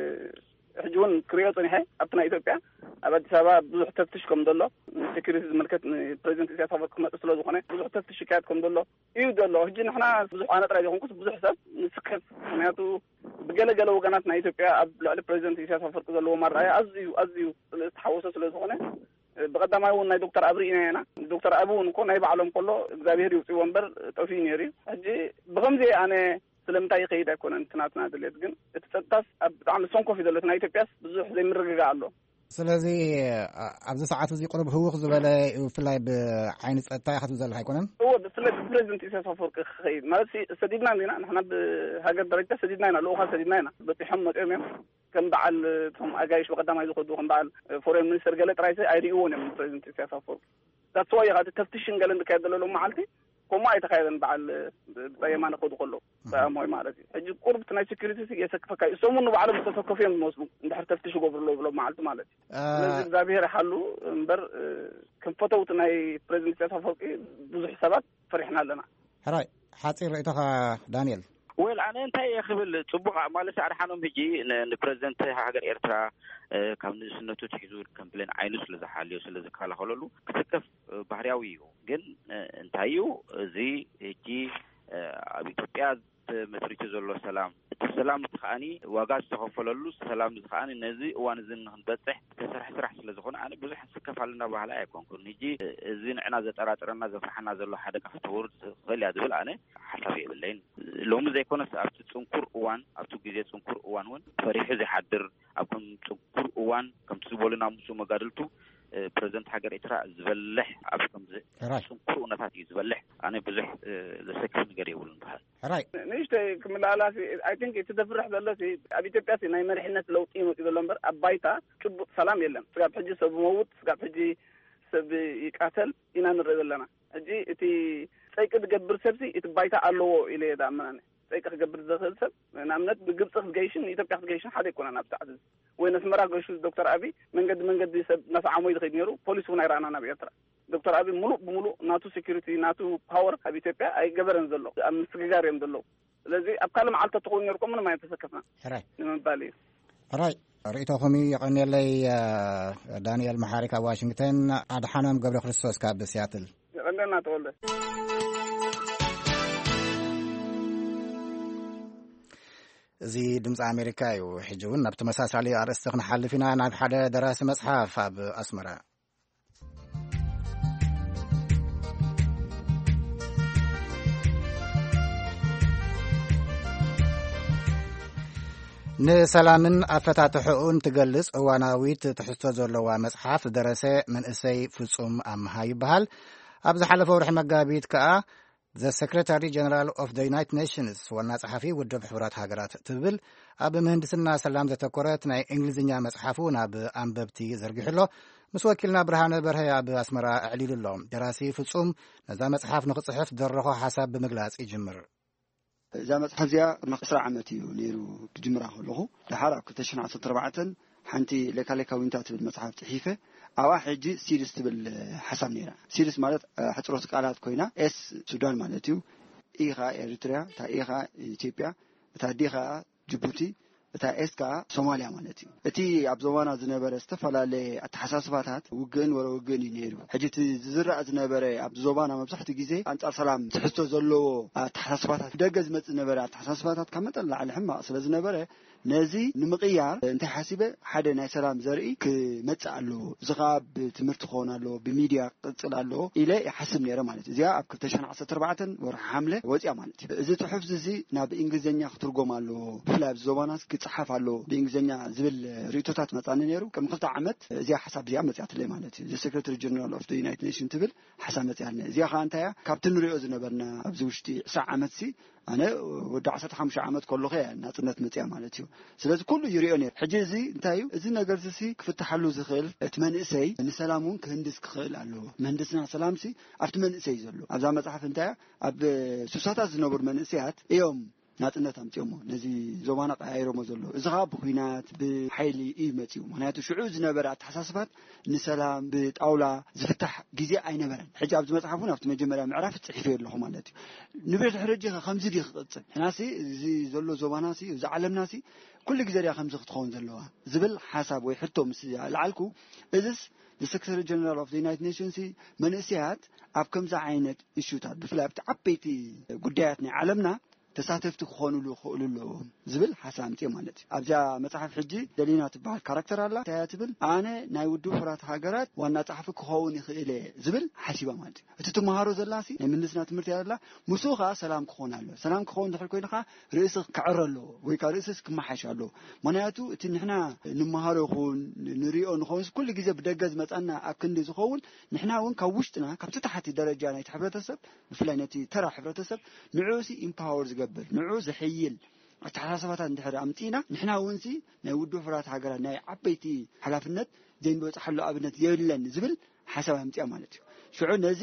ሕጂ እውን ክሪኦ ጸኒሐ፣ ኣብቲ ናይ ኢትዮጵያ ኣብ ኣዲስ ኣበባ ብዙሕ ተፍትሽ ከም ዘሎ፣ ንሴኩሪቲ ዝምልከት ንፕሬዚደንት ኢሳያስ ኣፈወርቂ ክመጽእ ስለ ዝኾነ ብዙሕ ተፍትሽ ይካየድ ከም ዘሎ እዩ ዘሎ። ሕጂ ንሕና ብዙሕ፣ ኣነ ጥራይ ዘይኮንኩስ ብዙሕ ሰብ ንስከፍ። ምክንያቱ ብገለ ገለ ወገናት ናይ ኢትዮጵያ ኣብ ልዕሊ ፕሬዚደንት ኢሳያስ ኣፈወርቂ ዘለዎ ኣረኣእያ ኣዝዩ፣ ኣዝዩ ዝተሓወሰ ስለ ዝኾነ፣ ብቐዳማይ እውን ናይ ዶክተር ኣብይ ኢና ኢና። ዶክተር ኣብይ እውን እኮ ናይ ባዕሎም ከሎ እግዚኣብሔር ይውፅዎ እምበር ጠፊኡ ነይሩ እዩ። ሕጂ ብኸምዚ ኣነ ስለምንታይ ይኸይድ ኣይኮነን እቲ ናትና ድሌት፣ ግን እቲ ጸጥታስ ኣብ ብጣዕሚ ሰንኮፍ እዩ ዘሎ። እቲ ናይ ኢትዮጵያስ ብዙሕ ዘይምርግጋእ ኣሎ። ስለዚ፣ ኣ-፣ ኣብዚ ሰዓት እዚ ቁሩብ ህውኽ ዝበለ እዩ፣ ብፍላይ ብዓይኒ ጸጥታ ኢኻ ትብል ዘለኻ ኣይኮነን? እወ፣ ብፍላይ ብፕሬዚደንት ኢሳያስ ኣፈወርቂ ክኸይድ ማለት ሲ-፣ ሰዲድና እንዲና፣ ንሕና ብሃገር ደረጃ ሰዲድና ኢና፣ ልኡኻት ሰዲድና ኢና። በጺሖም መጺኦም እዮም። ከም በዓል እቶም ኣጋይሽ ብቐዳማይ ዝኸዱ፣ ከም በዓል ፎሬን ሚኒስተር ገለ ጥራይ ሲ ኣይርእይዎን እዮም ፕሬዚደንት ኢሳያስ ኣፈወርቂ። ዳትስ ዋይ ኢኻ እቲ ተፍትሽን ገለን ዝካየድ ዘሎ ሎም መዓልቲ ከምኡ ኣይተኻየደን። በዓል ብጻይ የማነ ክኸዱ ከለዉ፣ ብጻይ ኣሞይ ማለት እዩ። ሕጂ ቁሩብ እቲ ናይ ሴኩሪቲ ሲ የሰክፈካ እዩ። እሶም እውን ንባዕሎም ዝተሰከፉ እዮም ዝመስሉ፣ እንድሕር ተፍትሽ ይገብሩ ኣለዉ ብሎም መዓልቲ ማለት እዩ። እ፣ ስለዚ እግዚኣብሔር ይሓሉ እምበር፣ እ፣ ከም ፈተውቲ ናይ ፕሬዚደንት ኢሳያስ ኣፈወርቂ ብዙሕ ሰባት ፈሪሕና ኣለና። ሕራይ፣ ሓጺር ርእይቶኻ ዳንኤል። ወል፣ ኣነ እንታይ እየ ክብል፣ ጽቡቕ ማለት ኣድሓኖም ሕጂ ን-፣ ንፕሬዚደንት ሃገር ኤርትራ፣ እ፣ ካብ ንእስነቱ ትሒዙ ከም ብሌን ዓይኑ ስለ ዝሓልዮ፣ ስለ ዝከላኸለሉ ክስከፍ፣ እ፣ ባህርያዊ እዩ። ግን፣ እ፣ እንታይ እዩ እዚ ሕጂ፣ እ፣ ኣብ ኢትዮጵያ ተመስሪቱ ዘሎ ሰላም፣ እቲ ሰላም እዚ ከዓኒ ዋጋ ዝተኸፈለሉ ሰላም እዚ ከዓኒ ነዚ እዋን እዚ ንክንበፅሕ ዝተሰርሐ ስራሕ ስለ ዝኾነ ኣነ ብዙሕ ንስከፍ ኣለና ባህላ ኣይኮንኩን። ሕጂ እዚ ንዕና ዘጠራጥረና ዘፍርሓና ዘሎ ሓደጋ ክትውርድ ትኽእል እያ ዝብል ኣነ ሓሳብ የብለይን። ሎሚ ዘይኮነስ ኣብቲ ፅንኩር እዋን ኣብቲ ግዜ ፅንኩር እዋን እውን ፈሪሑ ዘይሓድር ኣብ ከም ፅንኩር እዋን ከምቲ ዝበሉ ናብ ምስኡ መጋድልቱ ፕረዚደንት ሃገር ኤርትራ ዝበልሕ ኣብ ከምዚ ሕራይ ጽንኩር እውነታት እዩ ዝበልሕ። ኣነ ብዙሕ ዘሰክፍ ነገር የብሉን በሃል። ሕራይ ንእሽተይ ክምልኣላሲ፣ ኣይ ቲንክ እቲ ዘፍርሕ ዘሎሲ ኣብ ኢትዮጵያሲ ናይ መሪሕነት ለውጢ ይመፅእ ዘሎ እምበር ኣብ ባይታ ጭቡጥ ሰላም የለን። ስጋብ ሕጂ ሰብ መውት፣ ስጋብ ሕጂ ሰብ ይቃተል ኢና ንርኢ ዘለና። ሕጂ እቲ ፀይቂ ዝገብር ሰብሲ እቲ ባይታ ኣለዎ ኢለ እየ ዝኣምን። ፀይቂ ክገብር ዝኽእል ሰብ ንኣብነት ንግብፂ ክትገይሽን ንኢትዮጵያ ክትገይሽን ሓደ ኣይኮነን ኣብ ሰዓት እዚ። ወይ ነስመራ ገይሹ ዶክተር ኣብይ መንገዲ መንገዲ ሰብ እናሰዓሞ እዩ ዝኸይድ ነይሩ። ፖሊስ እውን ኣይረኣና ናብ ኤርትራ። ዶክተር ኣብይ ሙሉእ ብሙሉእ ናቱ ሴኩሪቲ ናቱ ፓወር ኣብ ኢትዮጵያ ኣይገበረን ዘሎ፣ ኣብ ምስግጋር እዮም ዘለዉ። ስለዚ ኣብ ካልእ መዓልቲ ተትኸውን ነይሩ እኮ ምንም ኣይተሰከፍና ሕራይ ንምባል እዩ። ሕራይ ርእይቶኹም እዩ። የቐንየለይ። ዳንኤል መሓሪ ካብ ዋሽንግተን፣ ኣድሓኖም ገብረ ክርስቶስ ካብ ሲያትል። የቐንየልና ተወልደ። እዚ ድምፂ ኣሜሪካ እዩ። ሕጂ እውን ናብ ተመሳሳሊ ኣርእስቲ ክንሓልፍ ኢና። ናብ ሓደ ደራሲ መፅሓፍ ኣብ ኣስመራ። ንሰላምን ኣፈታትሕኡን ትገልጽ እዋናዊት ትሕዝቶ ዘለዋ መጽሓፍ ዝደረሰ መንእሰይ ፍጹም ኣምሃ ይበሃል። ኣብ ዝሓለፈ ወርሒ መጋቢት ከኣ The Secretary General of the United Nations፣ ዋና ጸሓፊ ውድብ ሕቡራት ሃገራት ትብል ኣብ ምህንድስና ሰላም ዘተኮረት ናይ እንግሊዝኛ መጽሓፉ ናብ ኣንበብቲ ዘርጊሑ ኣሎ። ምስ ወኪልና ብርሃነ በርሀ ኣብ ኣስመራ ኣዕሊሉ ኣሎ። ደራሲ ፍጹም ነዛ መጽሓፍ ንኽጽሕፍ ዝደረኾ ሓሳብ ብምግላጽ ይጅምር። እዛ መጽሓፍ እዚኣ ቅድሚ ዕስራ ዓመት እዩ ነይሩ ክጅምራ ከለኹ። ደሓር ኣብ ክልተ ሽሕን ዓሰርተ ኣርባዕተን ሓንቲ ሌካ ሌካ ዊንታ ትብል መጽሓፍ ጽሒፈ። ኣብኣ ሕጂ ሲድስ ትብል ሓሳብ ነይራ። ሲድስ ማለት፣ እ፣ ሕጽሮት ቃላት ኮይና፣ ኤስ ሱዳን ማለት እዩ፣ ኢ ኸኣ ኤሪትርያ፣ እታ ኤ ኸኣ ኢትዮጵያ፣ እታ ዲ ኸኣ ጅቡቲ፣ እታ ኤስ ከኣ ሶማልያ ማለት እዩ። እቲ ኣብ ዞባና ዝነበረ ዝተፈላለየ ኣተሓሳስባታት ውግእን ወረ ውግእን እዩ ነይሩ። ሕጂ እቲ ዝዝራእ ዝነበረ ኣብ ዞባና መብዛሕትኡ ግዜ ኣንጻር ሰላም ትሕዝቶ ዘለዎ ኣተሓሳስባታት፣ ብደገ ዝመጽእ ዝነበረ ኣተሓሳስባታት ካብ መጠን ላዕሊ ሕማቕ ስለ ዝነበረ፣ ነዚ ንምቕያር እንታይ ሓሲበ፣ ሓደ ናይ ሰላም ዘርኢ ክመጽእ ኣለዎ። እዚ ኸኣ ብትምህርቲ ክኸውን ኣለዎ፣ ብሚድያ ክቕጽል ኣለዎ ኢለ ይሓስብ ነይረ ማለት እዩ። እዚኣ ኣብ ክልተ ሽሕን ዓሰርተ ኣርባዕተን ወርሒ ሓምለ ወጽያ ማለት እዩ። እዚ ጽሑፍ እዚ ናብ እንግሊዝኛ ክትርጎም ኣለዎ፣ ብፍላይ ኣብዚ ዞባናስ ክጽሓፍ ኣለዎ ብእንግሊዝኛ ዝብል ርእይቶታት መጻኒ ነይሩ። ቅድሚ ክልተ ዓመት እዚኣ ሓሳብ እዚኣ መጽኣትለይ ማለት እዩ። The Secretary General of the United Nations ትብል ሓሳብ መጽኣልና። እዚኣ ኸኣ እንታይ እያ? ካብቲ ንሪኦ ዝነበርና ኣብዚ ውሽጢ ዕስራ ዓመትሲ ኣነ ወዲ ዓሰርተ ሓሙሽተ ዓመት ከለኹ እያ ናጽነት መጽያ ማለት እዩ። ስለዚ ኩሉ ይሪኦ ነይሩ። ሕጂ እዚ እንታይ እዩ? እዚ ነገር እዚ ክፍትሓሉ ዝኽእል እቲ መንእሰይ ንሰላም እውን ክህንድስ ክኽእል ኣለዎ። ምህንድስና ሰላምሲ ኣብቲ መንእሰይ እዩ ዘሎ። ኣብዛ መጽሓፍ እንታይ እያ? ኣብ ሱሳታት ዝነበሩ መንእሰያት እዮም ናጽነት ኣምጺኦሞ፣ ነዚ ዞባና ቀያይሮሞ ዘሎ። እዚ ኸኣ ብኲናት፣ ብሓይሊ እዩ መጺኡ። ምኽንያቱ ሽዑ ዝነበረ ኣተሓሳስባት ንሰላም ብጣውላ ዝፍታሕ ግዜ ኣይነበረን። ሕጂ ኣብዚ መጽሓፍ እውን ኣብቲ መጀመርያ ምዕራፍ ጽሒፈዮ ኣለኹ ማለት እዩ። ንብድሕሪ ሕጂ ኸ ከምዚ ድዩ ክቕጽል? ንሕናሲ እዚ ዘሎ ዞባናሲ፣ እዚ ዓለምናሲ ኩሉ ግዜ ድያ ከምዚ ክትኸውን ዘለዋ? ዝብል ሓሳብ ወይ ሕቶ ምስ ኣልዓልኩ፣ እዝስ The Secretary General of the United Nations መንእሰያት ኣብ ከምዚ ዓይነት እሹታት፣ ብፍላይ ኣብቲ ዓበይቲ ጉዳያት ናይ ዓለምና ተሳተፍቲ ክኾኑሉ ይኽእሉ ኣለዎም ዝብል ሓሳብ ኣምጽኦ ማለት እዩ። ኣብዛ መጽሓፍ ሕጂ ደሊና ትበሃል ካራክተር ኣላ። እንታይ እያ ትብል? ኣነ ናይ ውድብ ሕቡራት ሃገራት ዋና ጸሓፊ ክኸውን ይኽእል እየ ዝብል ሓሲባ ማለት እዩ። እቲ ትመሃሮ ዘላሲ ናይ ምህንድስና ትምህርቲ እያ ዘላ። ምስኡ ኸኣ ሰላም ክኾን ኣሎ። ሰላም ክኸውን ድሕር ኮይኑ ኸኣ ርእሲ ክዕረ ኣለዎ ወይ ከኣ ርእስስ ክመሓሽ ኣለዎ። ምኽንያቱ እቲ ንሕና ንመሃሮ ይኹን ንሪኦ ንኸውን ኩሉ ግዜ ብደገ ዝመጻና ኣብ ክንዲ ዝኸውን ንሕና እውን ካብ ውሽጥና ካብቲ ታሕቲ ደረጃ ናይቲ ሕብረተሰብ ብፍላይ ነቲ ተራ ሕብረተሰብ ንዕኡሲ ኢምፓወር ዝገብር ንዕኡ ዘሐይል ኣተሓሳስባታት እንድሕር ኣምጺእና ንሕና እውንሲ ናይ ውድብ ሕቡራት ሃገራት ናይ ዓበይቲ ሓላፍነት ዘይንበጽሓሉ ኣብነት የብለን ዝብል ሓሳብ ኣምጺኣ ማለት እዩ። ሽዑ ነዚ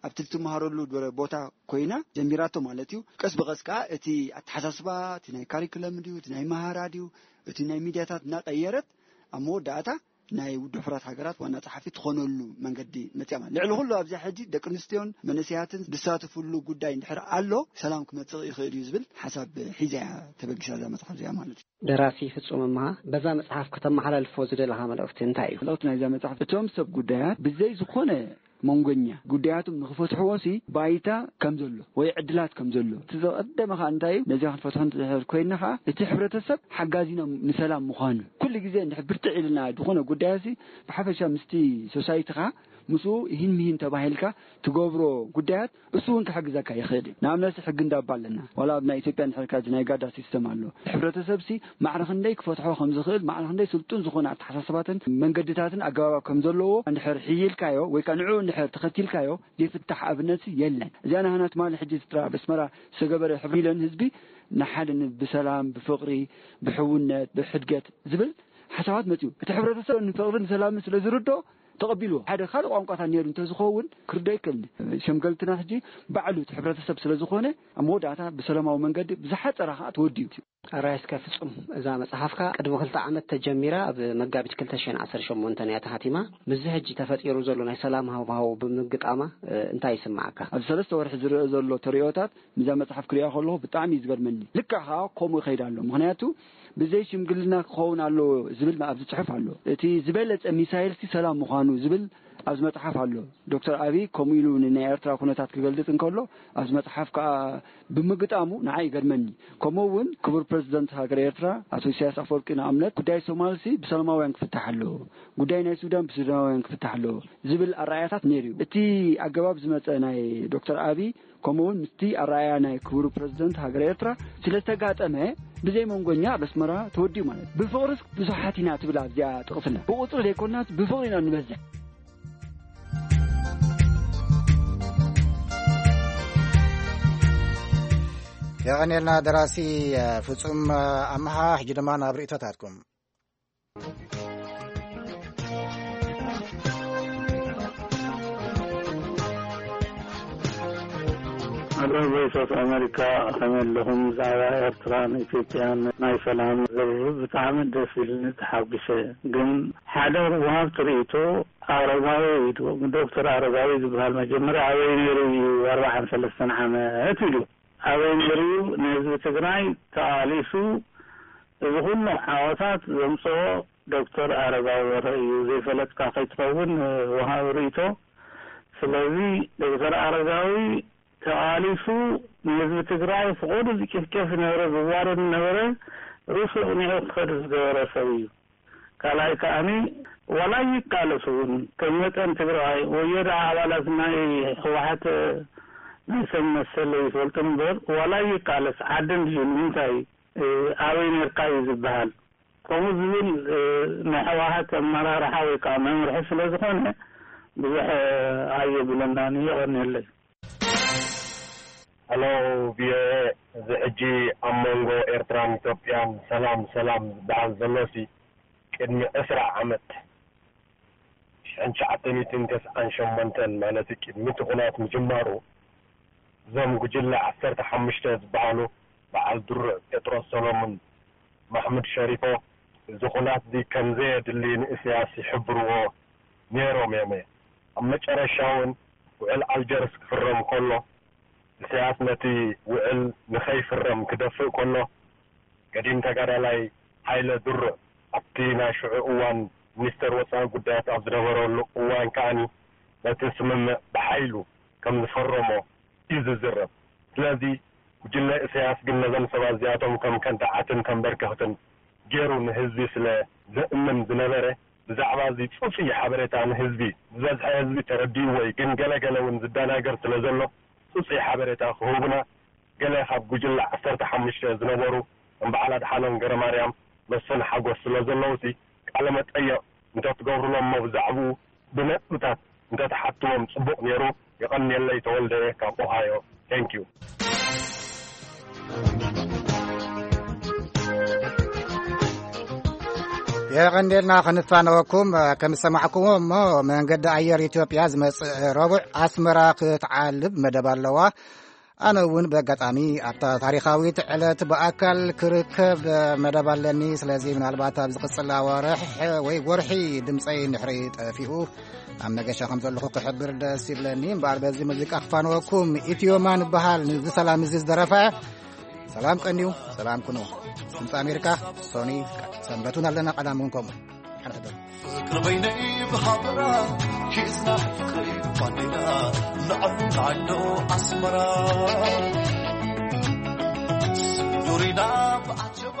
ኣብቲ ትመሃረሉ ድረ-፣ ቦታ ኮይና ጀሚራቶ ማለት እዩ። ቀስ ብቐስ ከኣ እቲ ኣተሓሳስባ እቲ ናይ ካሪኩለም ድዩ እቲ ናይ መሃራ ድዩ እቲ ናይ ሚድያታት እናቐየረት ኣብ መወዳእታ ናይ ውድብ ሕቡራት ሃገራት ዋና ጸሓፊ ትኾነሉ መንገዲ መጽያ ማለት። ልዕሊ ኩሉ ኣብዚኣ ሕጂ ደቂ ኣንስትዮን መንእሰያትን ዝሳተፍሉ ጉዳይ እንድሕር ኣሎ ሰላም ክመጽእ ይኽእል እዩ ዝብል ሓሳብ ሒዛ እያ ተበጊሳ እዛ መጽሓፍ እዚኣ ማለት እዩ። ደራሲ ፍጹም እምሃ በዛ መጽሓፍ ከተመሓላልፎ ዝደለኻ መልእኽቲ እንታይ እዩ? መልእኽቲ ናይዛ መጽሓፍ እቶም ሰብ ጉዳያት ብዘይ ዝኾነ መንጎኛ ጉዳያቶም ንኽፈትሕዎ ሲ ባይታ ከም ዘሎ ወይ ዕድላት ከም ዘሎ እቲ ዘቐደመ ኸዓ እንታይ እዩ? ነዚኣ ክንፈትሖ እንድሕር ኮይንና ኸዓ እቲ ሕብረተሰብ ሓጋዚና ንሰላም ምዃኑ ኩሉ ግዜ እንድሕር ብርትዕ ኢልና ዝኾነ ጉዳያት ሲ ብሓፈሻ ምስቲ ሶሳይቲኻ ምስኡ ይህን ምሂን ተባሂልካ ትገብሮ ጉዳያት እሱ እውን ክሕግዘካ ይኽእል እዩ። ንኣብነት ሕጊ እንዳባ ኣለና። ዋላ ኣብ ናይ ኢትዮጵያ እንድሕር ካዚ ናይ ጋዳ ሲስተም ኣሎ። ሕብረተሰብ ሲ ማዕረ ክንደይ ክፈትሖ ከም ዝኽእል ማዕረ ክንደይ ስልጡን ዝኾነ ኣተሓሳስባትን መንገድታትን ኣገባባት ከም ዘለዎ እንድሕር ሕይልካዮ ወይ ከዓ ንዕኡ እንድሕር ተኸቲልካዮ ዘይፍታሕ ኣብነት የለን። እዚኣ ናህና ትማሊ ሕጂ ዝጥራ ኣብ ኣስመራ ዝተገበረ ሕብሪ ኢለን ህዝቢ ንሓደ ን- ብሰላም ብፍቕሪ ብሕውነት ብሕድገት ዝብል ሓሳባት መፅኡ። እቲ ሕብረተሰብ ንፍቕርን ሰላምን ስለ ዝርዶ ተቐቢልዎ ሓደ ካልእ ቋንቋታት ነይሩ እንተዝኸውን ክርዶ ይክእል። ሸምገልትና ሕጂ ባዕሉ እቲ ሕብረተሰብ ስለ ዝኾነ ኣብ መወዳእታ ብሰላማዊ መንገዲ ብዝሓፀራ ከዓ ተወዲኡ። ኣራይ እስከ ፍጹም፣ እዛ መጽሓፍካ ቅድሚ ክልተ ዓመት ተጀሚራ ኣብ መጋቢት ክልተ ሽሕን ዓሰርተ ሸሞንተን እያ ተሓቲማ። ምስዚ ሕጂ ተፈጢሩ ዘሎ ናይ ሰላም ሃዋህው ብምግጣማ፣ እ፣ እንታይ ይስምዓካ? ኣብ ሰለስተ ወርሒ ዝረአ ዘሎ ተርእዮታት ምስዛ መጽሓፍ ክሪኣ ከለኹ ብጣዕሚ እዩ ዝገርመኒ። ልክዕ ከኣ ከምኡ ይኸይድ ኣሎ። ምኽንያቱ ብዘይ ሽምግልና ክኸውን ኣለዎ ዝብል ኣብዚ ጽሑፍ ኣሎ። እቲ ዝበለጸ ሚሳይልሲ ሰላም ምዃኑ ዝብል ኣብዚ መጽሓፍ ኣሎ። ዶክተር ኣብይ ከምኡ ኢሉ ንናይ ኤርትራ ኩነታት ክገልጽ እንከሎ ኣብዚ መጽሓፍ ከኣ ብምግጣሙ ንዓይ ይገርመኒ። ከምኡ እውን ክቡር ፕረዚደንት ሃገር ኤርትራ ኣቶ ኢሳያስ ኣፈወርቂ ንኣብነት ጉዳይ ሶማልሲ ብሰላማውያን ክፍታሕ ኣለዎ፣ ጉዳይ ናይ ሱዳን ብሱዳናውያን ክፍታሕ ኣለዎ ዝብል ኣረኣእያታት ነይሩ እዩ። እቲ ኣገባብ ዝመጸ ናይ ዶክተር ኣብይ ከምኡ እውን ምስቲ ኣረኣእያ ናይ ክቡር ፕረዚደንት ሃገር ኤርትራ ስለ ዝተጋጠመ ብዘይ መንጎኛ ኣብ ኣስመራ ተወዲኡ ማለት እዩ። ብፍቕርስ ብዙሓት ኢና ትብል ኣብዚኣ ጥቕስና ብቁጽሪ ዘይኮናስ ብፍቕሪ ኢና ንበዝሕ። የቐንየልና ደራሲ ፍጹም ኣምሃ። ሕጂ ድማ ናብ ርእይቶታትኩም። ኣሎ ቮይስ ኦፍ ኣሜሪካ፣ ከመይ ኣለኹም? ብዛዕባ ኤርትራን ኢትዮጵያን ናይ ሰላም ዝርርብ ብጣዕሚ ደስ ኢልኒ፣ ተሓጒሰ። ግን ሓደ ወሃብቲ ርእይቶ ኣረጋዊ ኢሉ፣ ዶክተር ኣረጋዊ ዝበሃል መጀመርያ ኣበይ ነይሩ እዩ ኣርባዓን ሰለስተን ዓመት ኢሉ። ኣበይ ነይሩ እዩ ንህዝቢ ትግራይ ተቓሊሱ እዚ ኩሉ ዓወታት ዘምፅኦ ዶክተር ኣረጋዊ በርሀ እዩ። ዘይፈለጥካ ከይትኸውን ወሃቢ ርእይቶ። ስለዚ ዶክተር ኣረጋዊ ተቓሊሱ ንህዝቢ ትግራይ ፍቑድ ዝጭፍጨፍ ዝነበረ ዝዋረድ ዝነበረ ርእሱ ኣቕኒዑ ክኸድ ዝገበረ ሰብ እዩ። ካልኣይ ከዓኒ ዋላ ይቃለስ እውን ከም መጠን ትግራዋይ ወዮ ደኣ ኣባላት ናይ ህወሓት ናይ ሰብ መሰል ይፈልጡ እምበር ዋላ ይቃለስ ዓዲ እንድዩ ንምንታይ ኣበይ ነርካ እዩ ዝበሃል። ከምኡ ዝብል ናይ ህወሓት ኣመራርሓ ወይ ከዓ መምርሒ ስለ ዝኾነ ብዙሕ ኣየብለናን እዩ። የቐንየለይ። ሄሎ ቪኦኤ፣ እዚ ሕጂ ኣብ መንጎ ኤርትራን ኢትዮጵያን ሰላም ሰላም ዝበሃል ዘሎሲ ቅድሚ ዕስራ ዓመት ሽሕን ትሽዓተ ሚእትን ተስዓን ሸሞንተን ማለት ቅድሚ እቲ ኩናት ምጅማሩ እዞም ጉጅለ ዓሰርተ ሓሙሽተ ዝበሃሉ በዓል ድሩዕ ጴጥሮስ ሰሎሙን ማሕሙድ ሸሪፎ እዚ ኩናት እዚ ከም ዘየድሊ ንእስያስ ይሕብርዎ ነይሮም እዮም። ኣብ መጨረሻ እውን ውዕል ኣልጀርስ ክፍረም ከሎ እሰያስ ነቲ ውዕል ንኸይፍረም ክደፍእ ከሎ፣ ገዲም ተጋዳላይ ሃይለ ድሩዕ ኣብቲ ናይ ሽዑ እዋን ሚኒስተር ወጻኢ ጉዳያት ኣብ ዝነበረሉ እዋን ከኣኒ ነቲ ስምምዕ ብሓይሉ ከም ዝፈረሞ እዩ ዝዝረብ። ስለዚ ጉጅለ እሰያስ ግን ነዞም ሰባት እዚኣቶም ከም ከዳዓትን ከም በርከኽትን ገይሩ ንህዝቢ ስለ ዘእምን ዝነበረ፣ ብዛዕባ እዚ ጽጹይ ሓበሬታ ንህዝቢ ዝበዝሐ ህዝቢ ተረዲእዎ እዩ። ግን ገለ ገለ እውን ዝደናገር ስለ ዘሎ ጽጹይ ሓበሬታ ክህቡና ገለ ካብ ጉጅለ ዓሰርተ ሓሙሽተ ዝነበሩ ከም በዓል ኣድሓኖም ገረማርያም፣ መስፍን ሓጎስ ስለ ዘለዉ ሲ ቃለ መጠየቕ እንተትገብሩሎም እሞ ብዛዕባኡ ብነጥብታት እንተትሓትዎም ጽቡቕ ነይሩ። የቐንየለይ ተወልደ ካብ ኦሃዮ። Thank you። የቐንዴልና ክንፋነወኩም። ከም ዝሰማዕኩሞ እሞ መንገዲ ኣየር ኢትዮጵያ ዝመጽእ ረቡዕ ኣስመራ ክትዓልብ መደብ ኣለዋ። ኣነ እውን ብኣጋጣሚ ኣብታ ታሪኻዊት ዕለት ብኣካል ክርከብ መደብ ኣለኒ። ስለዚ ምናልባት ኣብ ዝቕጽል ኣዋርሕ ወይ ወርሒ ድምፀይ እንድሕሪ ጠፊኡ ኣብ መገሻ ከም ዘለኹ ክሕብር ደስ ይብለኒ። እምበኣር በዚ ሙዚቃ ክፋንወኩም። ኢትዮማን ይበሃል። ንዚ ሰላም እዚ ዝደረፈ ሰላም ቀንዩ፣ ሰላም ኩኑ። ድምፂ ኣሜሪካ፣ ሶኒ፣ ሰንበቱን ኣለና ቀዳም እውን ከምኡ። ሓንሕዶ ፍቅሪ በይነይ ብሃበራ ሒዝና ፍቅሪ ባንዴራ ንዕና ኣሎ ኣስመራ ዙሪና ብዓጀባ